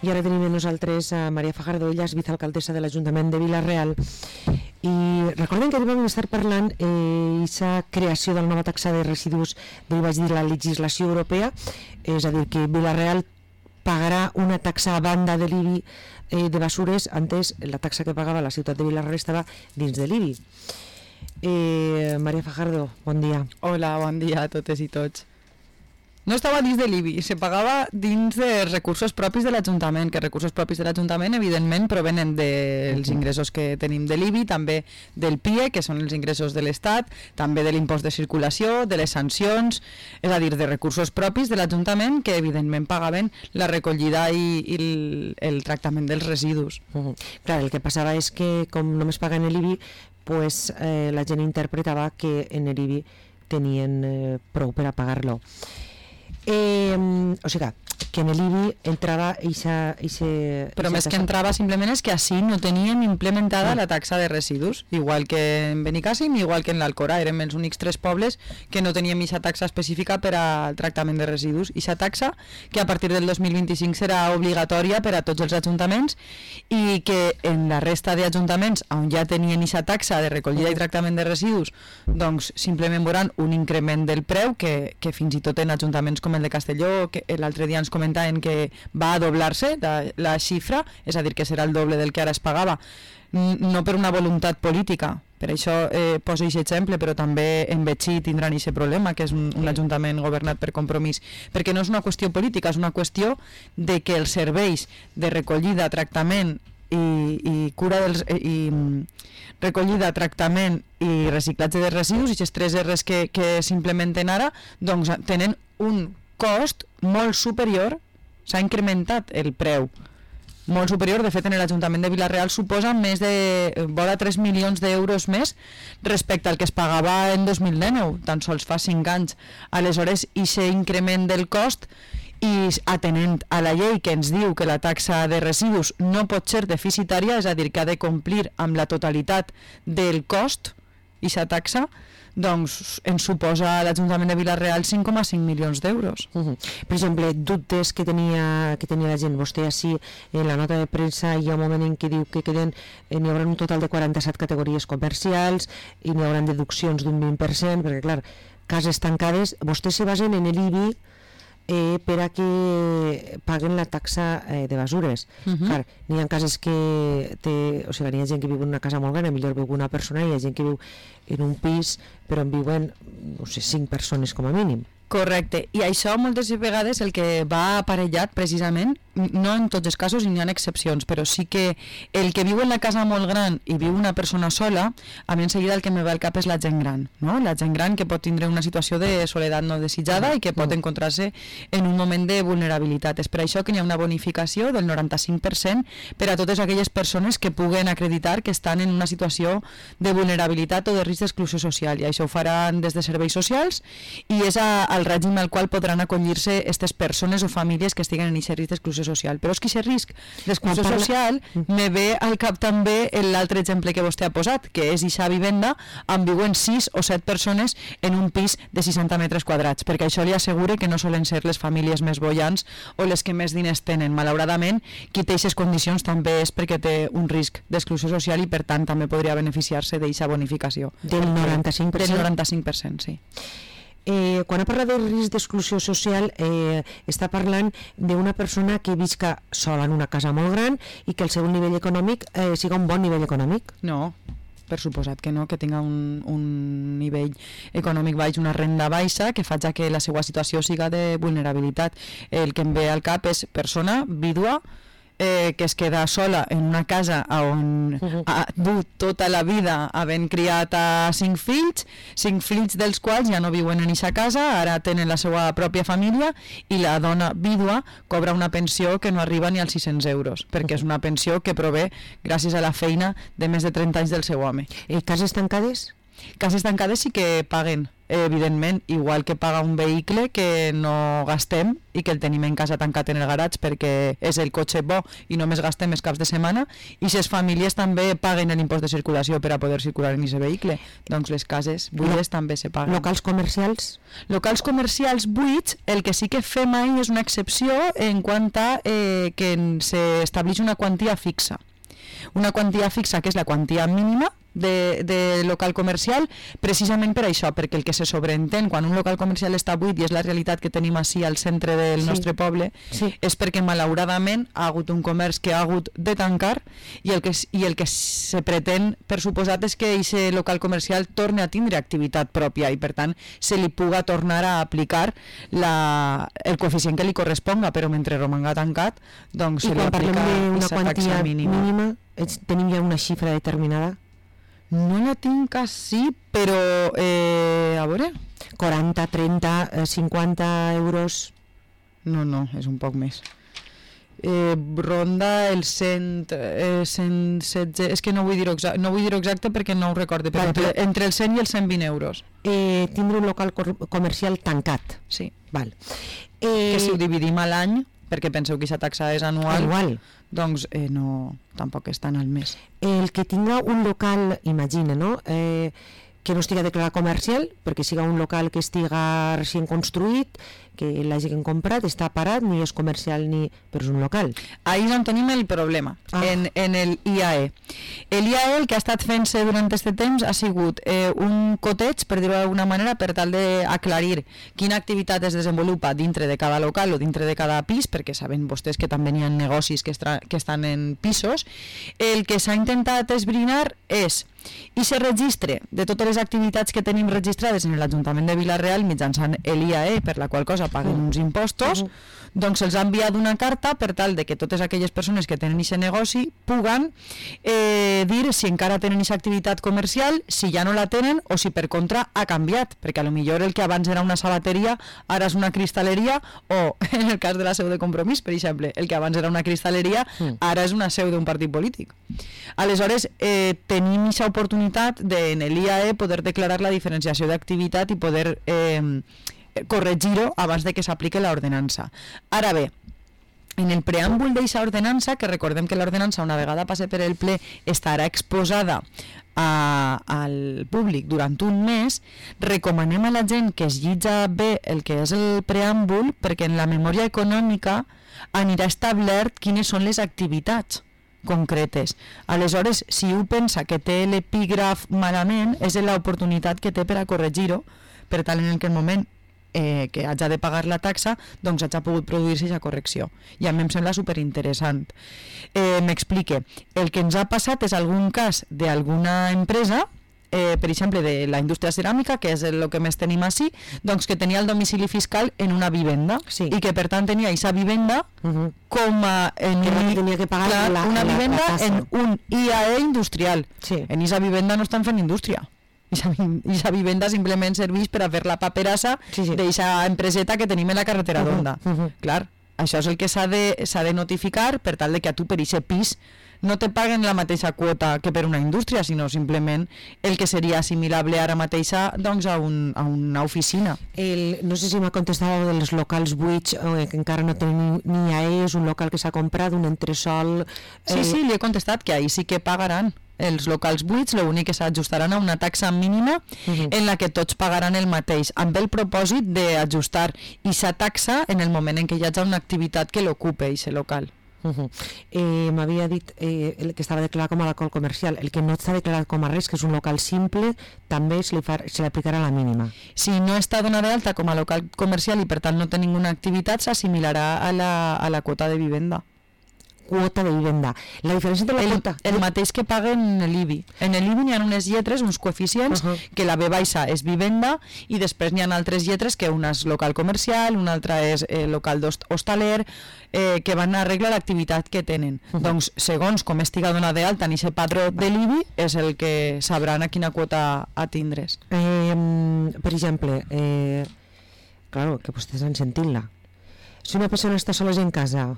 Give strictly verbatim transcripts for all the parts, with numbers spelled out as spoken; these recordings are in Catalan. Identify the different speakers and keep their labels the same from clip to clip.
Speaker 1: I ara tenim amb nosaltres a Maria Fajardo, ella és vicealcaldessa de l'Ajuntament de Vila-real. I recordem que vam estar parlant d'aquesta eh, creació de la nova taxa de residus de, vaig dir, la legislació europea, és a dir, que Vila-real pagarà una taxa a banda de l'I B I eh, de basures. Antes la taxa que pagava la ciutat de Vila-real estava dins de l'I B I. Eh, Maria Fajardo, bon dia.
Speaker 2: Hola, bon dia a totes i tots. No estava dins de l'I B I, se pagava dins de recursos propis de l'Ajuntament, que recursos propis de l'Ajuntament evidentment provenen dels ingressos que tenim de l'I B I, també del P I E, que són els ingressos de l'Estat, també de l'impost de circulació, de les sancions, és a dir, de recursos propis de l'Ajuntament que evidentment pagaven la recollida i, i el, el tractament dels residus.
Speaker 1: Uh -huh. Clar, el que passava és que com només paguen l'I B I, pues, eh, la gent interpretava que en l'I B I tenien eh, prou per a pagar-lo. Eh, o sigui que en l'I B I entrava eixa, eixa,
Speaker 2: però
Speaker 1: eixa
Speaker 2: més
Speaker 1: taxa.
Speaker 2: que entrava simplement és que així no teníem implementada la taxa de residus, igual que en Benicàssim, igual que en l'Alcora. Érem els únics tres pobles que no teníem eixa taxa específica per al tractament de residus. Eixa taxa que a partir del dos mil vint-i-cinc serà obligatòria per a tots els ajuntaments i que en la resta d'ajuntaments on ja tenien eixa taxa de recollida i tractament de residus, doncs simplement veuran un increment del preu que, que fins i tot en ajuntaments com el de Castelló, que l'altre dia ens comentaven que va a doblar-se la, la xifra, és a dir, que serà el doble del que ara es pagava, no per una voluntat política. Per això eh, poso aquest exemple, però també en Betxí tindran aquest problema, que és un, un ajuntament governat per Compromís, perquè no és una qüestió política, és una qüestió de que els serveis de recollida, tractament i, i cura dels... I, recollida, tractament i reciclatge de residus, i aquests tres R's que, que s'implementen ara, doncs tenen un cost molt superior, s'ha incrementat el preu molt superior. De fet, en l'Ajuntament de Vila-real suposa més de vora tres milions d'euros més respecte al que es pagava en dos mil dinou, tan sols fa cinc anys. Aleshores, aquest increment del cost, i atenent a la llei que ens diu que la taxa de residus no pot ser deficitària, és a dir, que ha de complir amb la totalitat del cost, aquesta taxa, doncs ens suposa a l'Ajuntament de Vila-real cinc coma cinc milions d'euros.
Speaker 1: Uh -huh. Per exemple, dubtes que tenia, que tenia la gent, vostè així en la nota de premsa hi ha un moment en què diu que queden, eh, n'hi haurà un total de quaranta-set categories comercials i n'hi haurà deduccions d'un vint per cent, perquè clar, cases tancades, vostès se basen en l'I B I Eh, per a que paguen la taxa eh, de basures. Uh-huh. Clar, n'hi ha cases que té, o sigui, n'hi ha gent que viu en una casa molt gran, millor viu una persona, i hi ha gent que viu en un pis però en viuen, no sé, cinc persones com a mínim.
Speaker 2: Correcte, i això moltes vegades el que va aparellat precisament, no en tots els casos i n'hi ha excepcions, però sí que el que viu en la casa molt gran i viu una persona sola, a mi en seguida el que me ve al cap és la gent gran, no? La gent gran que pot tindre una situació de soledat no desitjada i que pot encontrar-se en un moment de vulnerabilitat. És per això que hi ha una bonificació del noranta-cinc per cent per a totes aquelles persones que puguen acreditar que estan en una situació de vulnerabilitat o de risc d'exclusió social, i això ho faran des de serveis socials i és a al règim al qual podran acollir-se aquestes persones o famílies que estiguen en aquest risc d'exclusió social. Però és que aquest risc d'exclusió parla... social me ve al cap també l'altre exemple que vostè ha posat, que és eixa vivenda on viuen sis o set persones en un pis de seixanta metres quadrats, perquè això li assegure que no solen ser les famílies més boiants o les que més diners tenen. Malauradament, qui té aquestes condicions també és perquè té un risc d'exclusió social i per tant també podria beneficiar-se d'aquesta bonificació.
Speaker 1: Del noranta-cinc per cent?
Speaker 2: Del noranta-cinc per cent, sí.
Speaker 1: Eh, quan ha parlat de risc d'exclusió social, eh, està parlant d'una persona que visca sola en una casa molt gran i que el seu nivell econòmic eh, siga un bon nivell econòmic.
Speaker 2: No, per suposat que no, que tinga un, un nivell econòmic baix, una renda baixa, que faci que la seva situació siga de vulnerabilitat. El que em ve al cap és persona, vídua, Eh, que es queda sola en una casa on uh-huh. ha dut tota la vida havent criat a cinc fills, cinc fills dels quals ja no viuen en aquesta casa, ara tenen la seva pròpia família i la dona vídua cobra una pensió que no arriba ni als sis-cents euros, perquè uh-huh. és una pensió que prové gràcies a la feina de més de trenta anys del seu home.
Speaker 1: I cases tancades?
Speaker 2: Cases tancades sí que paguen evidentment, igual que paga un vehicle que no gastem i que el tenim en casa tancat en el garatge perquè és el cotxe bo i només gastem els caps de setmana, i les famílies també paguen l'impost de circulació per a poder circular en aquest vehicle, doncs les cases buides també se paguen.
Speaker 1: Locals comercials?
Speaker 2: Locals comercials buits, el que sí que fem ahir és una excepció en quant a eh, que s'estableix una quantia fixa. Una quantia fixa que és la quantia mínima de, de local comercial, precisament per això, perquè el que se sobreentén quan un local comercial està buit, i és la realitat que tenim així al centre del sí. nostre poble, sí. és perquè malauradament ha hagut un comerç que ha hagut de tancar, i el que, i el que se pretén, per suposat, és que aquest local comercial torni a tindre activitat pròpia i per tant se li puga tornar a aplicar la, el coeficient que li corresponga, però mentre romanga tancat, doncs
Speaker 1: I
Speaker 2: se li aplica
Speaker 1: aquesta
Speaker 2: taxa mínima.
Speaker 1: mínima, tenim ja una xifra determinada?
Speaker 2: No la tinc així, però eh, a veure...
Speaker 1: quaranta, trenta, cinquanta euros?
Speaker 2: No, no, és un poc més. Eh, ronda el cent, eh, cent setze... És que no vull dir-ho exacte, no vull dir-ho exacte perquè no ho recorde, però entre, entre els cent i els cent vint euros.
Speaker 1: Eh, tindre un local comercial tancat?
Speaker 2: Sí.
Speaker 1: Val.
Speaker 2: Eh, que si ho dividim a l'any, perquè penseu que aquesta taxa és anual,
Speaker 1: anual.
Speaker 2: doncs eh, no, tampoc és tan al mes.
Speaker 1: El que tinga un local, imagina, no? Eh, que no estiga declarat comercial, perquè siga un local que estiga recient construït, que l'hagin comprat, està parat, ni és comercial ni... però és un local.
Speaker 2: Ahí és on tenim el problema, ah. en, en el I A E. El I A E el que ha estat fent-se durant aquest temps ha sigut eh, un coteig, per dir-ho d'alguna manera, per tal d'aclarir quina activitat es desenvolupa dintre de cada local o dintre de cada pis, perquè saben vostès que també hi ha negocis que, estra, que estan en pisos. El que s'ha intentat esbrinar és i se registre de totes les activitats que tenim registrades en l'Ajuntament de Vila-real mitjançant l'I A E, per la qual cosa paguen uns impostos, uh -huh. doncs se'ls ha enviat una carta per tal de que totes aquelles persones que tenen aquest negoci puguen eh, dir si encara tenen aquesta activitat comercial, si ja no la tenen o si per contra ha canviat, perquè a lo millor el que abans era una sabateria ara és una cristalleria, o en el cas de la seu de Compromís, per exemple, el que abans era una cristalleria ara és una seu d'un partit polític. Aleshores, eh, tenim aquesta oportunitat de en l'I A E poder declarar la diferenciació d'activitat i poder eh, corregir-ho abans de que s'aplique l'ordenança. Ara bé, en el preàmbul d'aquesta ordenança, que recordem que l'ordenança una vegada passe per el ple estarà exposada a, al públic durant un mes, recomanem a la gent que es llitja bé el que és el preàmbul, perquè en la memòria econòmica anirà establert quines són les activitats concretes. Aleshores, si un pensa que té l'epígraf malament, és l'oportunitat que té per a corregir-ho, per tal en aquell moment eh, que hagi de pagar la taxa, doncs hagi pogut produir-se aquesta correcció. I a mi em sembla superinteressant. Eh, M'explique. El que ens ha passat és algun cas d'alguna empresa, eh, per exemple, de la indústria ceràmica, que és el que més tenim així, doncs que tenia el domicili fiscal en una vivenda, sí. i que per tant tenia aquesta vivenda uh -huh. com a en
Speaker 1: que
Speaker 2: un,
Speaker 1: tenia que pagar
Speaker 2: clar,
Speaker 1: la,
Speaker 2: una
Speaker 1: la,
Speaker 2: vivenda
Speaker 1: la
Speaker 2: en un I A E industrial. Sí. En aquesta vivenda no estan fent indústria. Aquesta vivenda simplement serveix per a fer la paperassa sí, sí. d'aquesta empreseta que tenim en la carretera d'Onda. Uh -huh. uh -huh. Clar, això és el que s'ha de, s'ha de notificar per tal de que a tu per aquest pis no te paguen la mateixa quota que per una indústria, sinó simplement el que seria assimilable ara mateixa doncs, a, un, a una oficina.
Speaker 1: El, no sé si m'ha contestat dels locals buits, eh, que encara no tenen ni I A E, és un local que s'ha comprat, un entresol...
Speaker 2: Eh... Sí, sí, li he contestat que ahir sí que pagaran els locals buits, l'únic que s'ajustaran a una taxa mínima uh -huh. en la que tots pagaran el mateix, amb el propòsit d'ajustar aquesta taxa en el moment en què hi hagi una activitat que l'ocupe, aquest local.
Speaker 1: Uh -huh. eh, M'havia dit eh, el que estava declarat com a local comercial. El que no està declarat com a res, que és un local simple, també se li, fa, se li aplicarà la mínima.
Speaker 2: Si no està donada d'alta com a local comercial i per tant no té ninguna activitat, s'assimilarà a la, a la quota de vivenda.
Speaker 1: Quota de vivenda. La diferència entre la
Speaker 2: el,
Speaker 1: quota...
Speaker 2: El mateix que paguen en l'I B I. En l'I B I n'hi ha unes lletres, uns coeficients, uh -huh. que la B baixa és vivenda i després n'hi ha altres lletres que una és local comercial, una altra és eh, local hostaler, eh, que van a arreglar l'activitat que tenen. Uh -huh. Doncs, segons com estiga donada d'alta en aquest padró de l'I B I, és el que sabran a quina quota atindre's.
Speaker 1: Eh, per exemple, eh, claro, que vostès han sentit-la. Si una persona està sola en casa,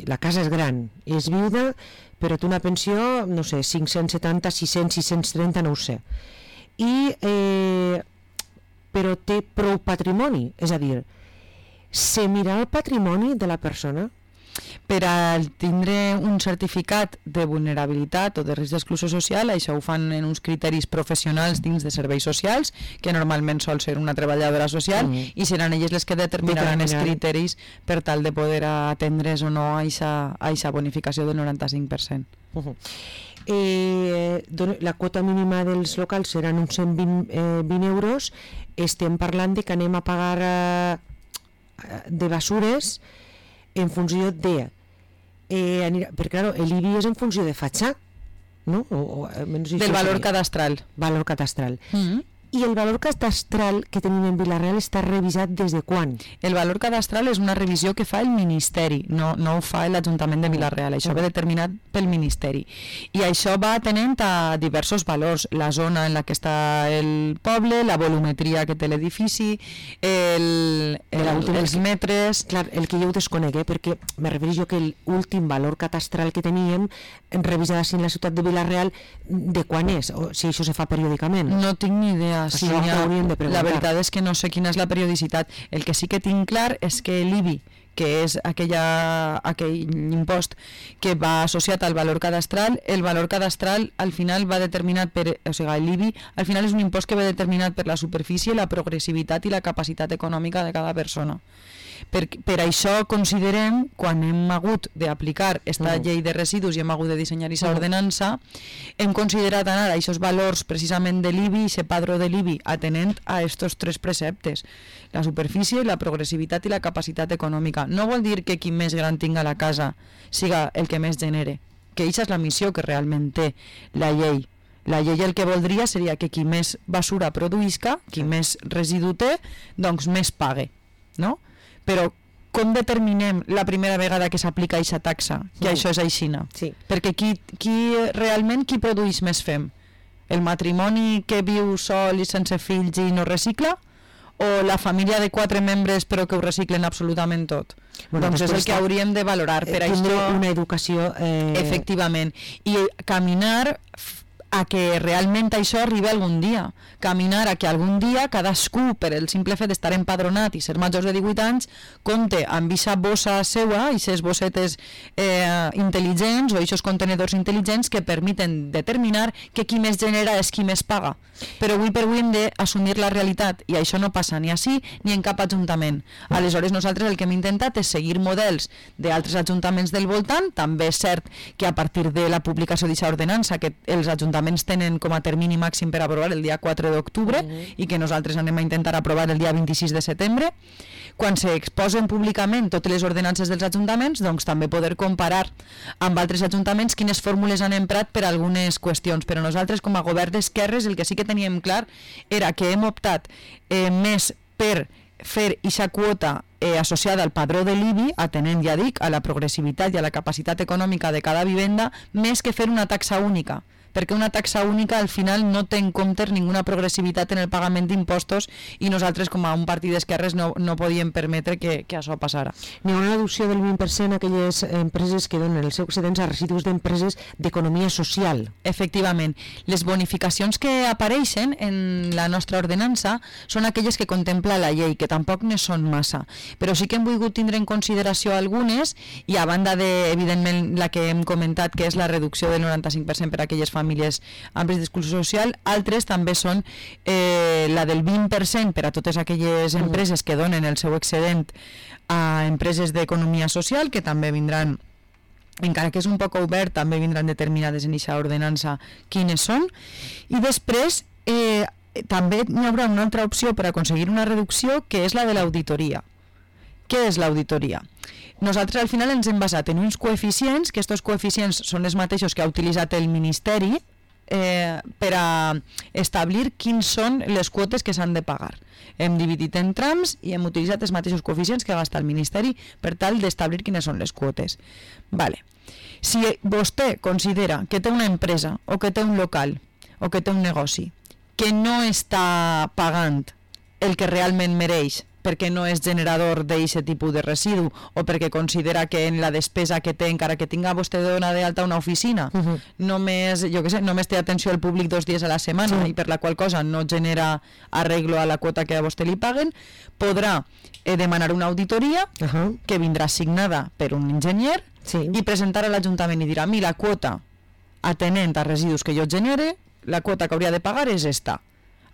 Speaker 1: la casa és gran, és viuda, però té una pensió, no sé, cinc-cents setanta, sis-cents, sis-cents trenta, no ho sé. I eh, però té prou patrimoni, és a dir, se mira el patrimoni de la persona.
Speaker 2: Per a tindre un certificat de vulnerabilitat o de risc d'exclusió social, això ho fan en uns criteris professionals dins de serveis socials, que normalment sol ser una treballadora social, mm. i seran elles les que determinaran els criteris per tal de poder atendre's o no a aquesta bonificació del noranta-cinc per cent.
Speaker 1: Uh-huh. Eh, la quota mínima dels locals seran uns cent vint, eh, vint euros. Estem parlant de que anem a pagar eh, de basures en funció de eh, anirà, perquè clar, l'I B I és en funció de fatxa, no? O, o,
Speaker 2: menys del valor seria. cadastral
Speaker 1: valor cadastral
Speaker 2: mm-hmm.
Speaker 1: I el valor cadastral que tenim en Vila-real està revisat des de quan?
Speaker 2: El valor cadastral és una revisió que fa el Ministeri, no, no ho fa l'Ajuntament de Vila-real, això va determinat pel Ministeri. I això va atenent a diversos valors, la zona en la que està el poble, la volumetria que té l'edifici, el, el, els metres...
Speaker 1: Clar, el que jo ho desconec, eh, perquè me refereixo que l'últim valor cadastral que teníem, revisat així en la ciutat de Vila-real, de quan és? O si això se fa periòdicament?
Speaker 2: No tinc ni idea. Sí, ha, la veritat és que no sé quina és la periodicitat. El que sí que tinc clar és que l'I B I, que és aquella, aquell impost que va associat al valor cadastral, el valor cadastral al final va determinat per, o sigui, l'I B I al final és un impost que va determinat per la superfície, la progressivitat i la capacitat econòmica de cada persona. Per, per això considerem, quan hem hagut d'aplicar aquesta llei de residus i hem hagut de dissenyar aquesta ordenança, hem considerat anar a aquests valors precisament de l'I B I, aquest padró de l'I B I, atenent a aquests tres preceptes, la superfície, la progressivitat i la capacitat econòmica. No vol dir que qui més gran tinga la casa siga el que més genere, que aquesta és la missió que realment té la llei. La llei el que voldria seria que qui més basura produïsca, qui més residu té, doncs més pague, no? Però com determinem la primera vegada que s'aplica aquesta taxa, que mm. això és aixina?
Speaker 1: Sí.
Speaker 2: Perquè qui, qui realment qui produeix més fem? El matrimoni que viu sol i sense fills i no recicla? O la família de quatre membres però que ho reciclen absolutament tot? Bueno, doncs és el que hauríem de valorar. Per
Speaker 1: eh,
Speaker 2: això,
Speaker 1: una educació... Eh...
Speaker 2: Efectivament. I caminar a que realment això arribi algun dia. Caminar a que algun dia cadascú, per el simple fet d'estar empadronat i ser majors de divuit anys, compte amb aquesta bossa seua, aquestes bossetes eh, intel·ligents o aquests contenedors intel·ligents que permeten determinar que qui més genera és qui més paga. Però avui per avui hem d'assumir la realitat i això no passa ni així ni en cap ajuntament. Aleshores nosaltres el que hem intentat és seguir models d'altres ajuntaments del voltant. També és cert que a partir de la publicació d'aquesta ordenança que els ajuntaments tenen com a termini màxim per aprovar el dia quatre d'octubre mm-hmm. i que nosaltres anem a intentar aprovar el dia vint-i-sis de setembre, quan s'exposen públicament totes les ordenances dels ajuntaments, doncs també poder comparar amb altres ajuntaments quines fórmules han emprat per algunes qüestions. Però nosaltres com a govern d'esquerres el que sí que teníem clar era que hem optat eh, més per fer aquesta quota eh, associada al padró de l'I B I, atenent, ja dic, a la progressivitat i a la capacitat econòmica de cada vivenda, més que fer una taxa única, perquè una taxa única al final no té en compte ninguna progressivitat en el pagament d'impostos i nosaltres com a un partit d'esquerres no, no podíem permetre que, que això passara.
Speaker 1: N'hi ha una reducció del vint per cent a aquelles empreses que donen els seus excedents a residus d'empreses d'economia social.
Speaker 2: Efectivament. Les bonificacions que apareixen en la nostra ordenança són aquelles que contempla la llei, que tampoc ne són massa, però sí que hem volgut tindre en consideració algunes i a banda de, evidentment, la que hem comentat, que és la reducció del noranta-cinc per cent per a aquelles famílies famílies amb risc d'exclusió social, altres també són eh, la del vint per cent per a totes aquelles empreses que donen el seu excedent a empreses d'economia social, que també vindran, encara que és un poc obert, també vindran determinades en aquesta ordenança quines són, i després eh, també hi haurà una altra opció per aconseguir una reducció, que és la de l'auditoria. Què és l'auditoria? Nosaltres al final ens hem basat en uns coeficients, que aquests coeficients són els mateixos que ha utilitzat el Ministeri eh, per a establir quins són les quotes que s'han de pagar. Hem dividit en trams i hem utilitzat els mateixos coeficients que gasta el Ministeri per tal d'establir quines són les quotes. Vale. Si vostè considera que té una empresa o que té un local o que té un negoci que no està pagant el que realment mereix perquè no és generador d'aquest tipus de residu o perquè considera que en la despesa que té, encara que tinga vostè dona d'alta una oficina, uh -huh. només, jo què sé, només té atenció al públic dos dies a la setmana, sí. i per la qual cosa no genera arreglo a la quota que a vostè li paguen, podrà eh, demanar una auditoria uh -huh. que vindrà signada per un enginyer, sí. i presentar a l'Ajuntament i dirà, a mi la quota atenent a residus que jo genere, la quota que hauria de pagar és esta.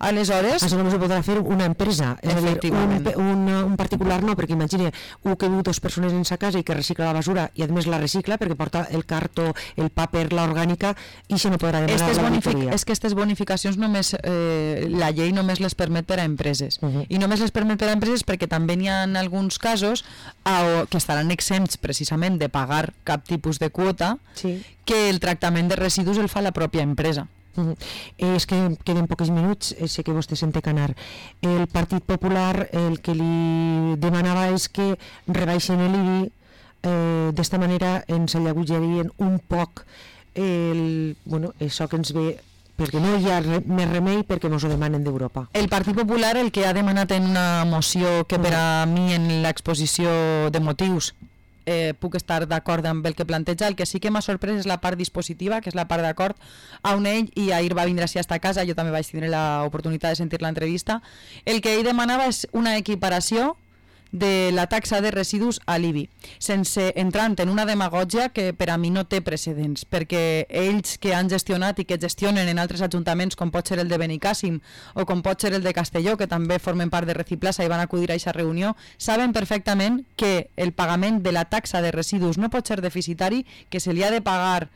Speaker 2: Aleshores...
Speaker 1: Això només ho podrà fer una empresa, és a dir, un, un, un particular no, perquè imagina un que viu dues persones en sa casa i que recicla la basura i a més la recicla perquè porta el cartó, el paper, l'orgànica, i això no podrà demanar l'auditoria.
Speaker 2: És que aquestes bonificacions només, eh, la llei només les permet per a empreses, uh -huh. i només les permet per a empreses perquè també n'hi ha alguns casos a, que estaran exempts precisament de pagar cap tipus de quota, sí. que el tractament de residus el fa la pròpia empresa.
Speaker 1: Uh-huh. Eh, és que queden pocs minuts, eh, sé que vostè se'n té que anar. El Partit Popular el que li demanava és que rebaixen l'I B I, eh, d'esta manera ens alleugerien un poc el, bueno, això que ens ve, perquè no hi ha re, més remei perquè ens ho demanen d'Europa.
Speaker 2: El Partit Popular el que ha demanat en una moció que per a mi en l'exposició de motius Eh, puc estar d'acord amb el que planteja. El que sí que m'ha sorprès és la part dispositiva, que és la part d'acord a on ell, i ahir va vindre així a esta casa, jo també vaig tenir l'oportunitat de sentir l'entrevista, el que ell demanava és una equiparació de la taxa de residus a l'I B I, sense entrant en una demagògia que per a mi no té precedents, perquè ells que han gestionat i que gestionen en altres ajuntaments, com pot ser el de Benicàssim o com pot ser el de Castelló, que també formen part de Reciplaza i van acudir a aquesta reunió, saben perfectament que el pagament de la taxa de residus no pot ser deficitari, que se li ha de pagar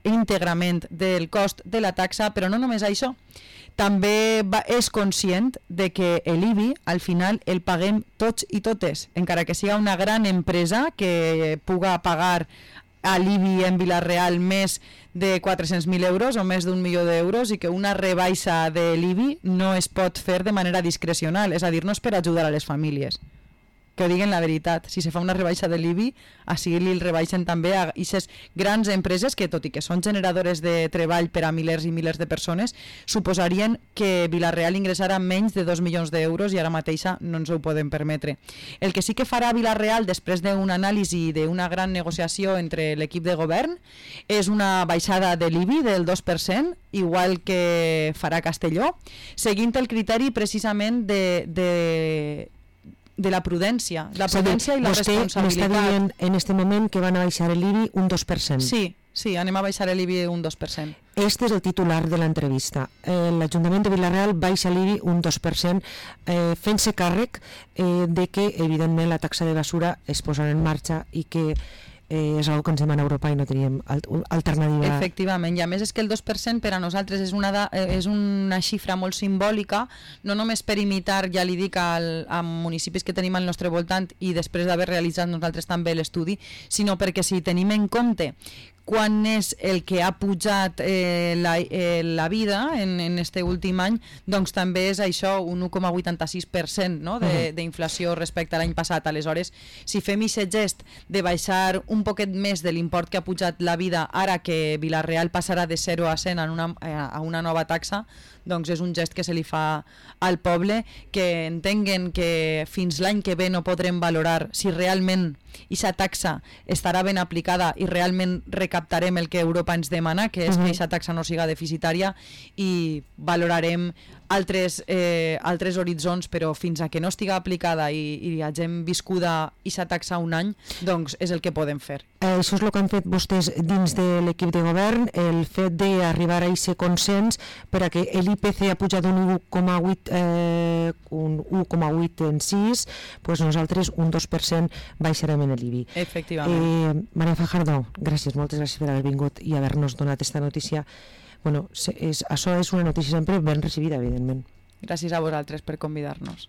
Speaker 2: íntegrament del cost de la taxa, però no només això, també va, és conscient de que l'I B I al final el paguem tots i totes, encara que sigui una gran empresa que puga pagar a l'I B I en Vila-real més de quatre-cents mil euros o més d'un milió d'euros i que una rebaixa de l'I B I no es pot fer de manera discrecional, és a dir, no és per ajudar a les famílies. Que ho diguen la veritat, si se fa una rebaixa de l'I B I, així li el rebaixen també a aquestes grans empreses que, tot i que són generadores de treball per a milers i milers de persones, suposarien que Vila-real ingressarà menys de dos milions d'euros i ara mateixa no ens ho podem permetre. El que sí que farà Vila-real després d'una anàlisi i d'una gran negociació entre l'equip de govern és una baixada de l'I B I del dos per cent, igual que farà Castelló, seguint el criteri precisament de... de de la prudència, la prudència i la responsabilitat.
Speaker 1: Vostè m'està dient en este moment que van a baixar l'I B I un dos per cent.
Speaker 2: Sí, sí, anem a baixar l'I B I un dos per cent.
Speaker 1: Este és el titular de l'entrevista. Eh, L'Ajuntament de Vila-real baixa l'I B I un dos per cent, eh, fent-se càrrec eh, de que, evidentment, la taxa de basura es posarà en marxa i que eh, és una cosa que ens demana Europa i no teníem alternativa.
Speaker 2: Efectivament, i a més és que el dos per cent per a nosaltres és una, da, és una xifra molt simbòlica, no només per imitar, ja li dic, al, a municipis que tenim al nostre voltant i després d'haver realitzat nosaltres també l'estudi, sinó perquè si tenim en compte quan és el que ha pujat eh, la, eh, la vida en, en este últim any, doncs també és això, un un coma vuitanta-sis per cent, no? d'inflació respecte a l'any passat. Aleshores, si fem aquest gest de baixar un poquet més de l'import que ha pujat la vida ara que Vila-real passarà de zero a cent en una, a una nova taxa, doncs és un gest que se li fa al poble, que entenguen que fins l'any que ve no podrem valorar si realment aquesta taxa estarà ben aplicada i realment recaptarem el que Europa ens demana, que és que aquesta taxa no siga deficitària, i valorarem altres, eh, altres horitzons, però fins a que no estiga aplicada i, i hagem viscuda aquesta taxa un any, doncs és el que podem fer.
Speaker 1: Eh, això és el que han fet vostès dins de l'equip de govern, el fet d'arribar a aquest consens per a que l'I P C ha pujat un u coma vuit eh, un u coma vuit en sis, doncs nosaltres un dos per cent baixarem en l'I B I.
Speaker 2: Efectivament.
Speaker 1: Eh, Maria Fajardo, gràcies, moltes gràcies per haver vingut i haver-nos donat aquesta notícia. Bueno, és, això és una notícia sempre ben recibida, evidentment.
Speaker 2: Gràcies a vosaltres per convidar-nos.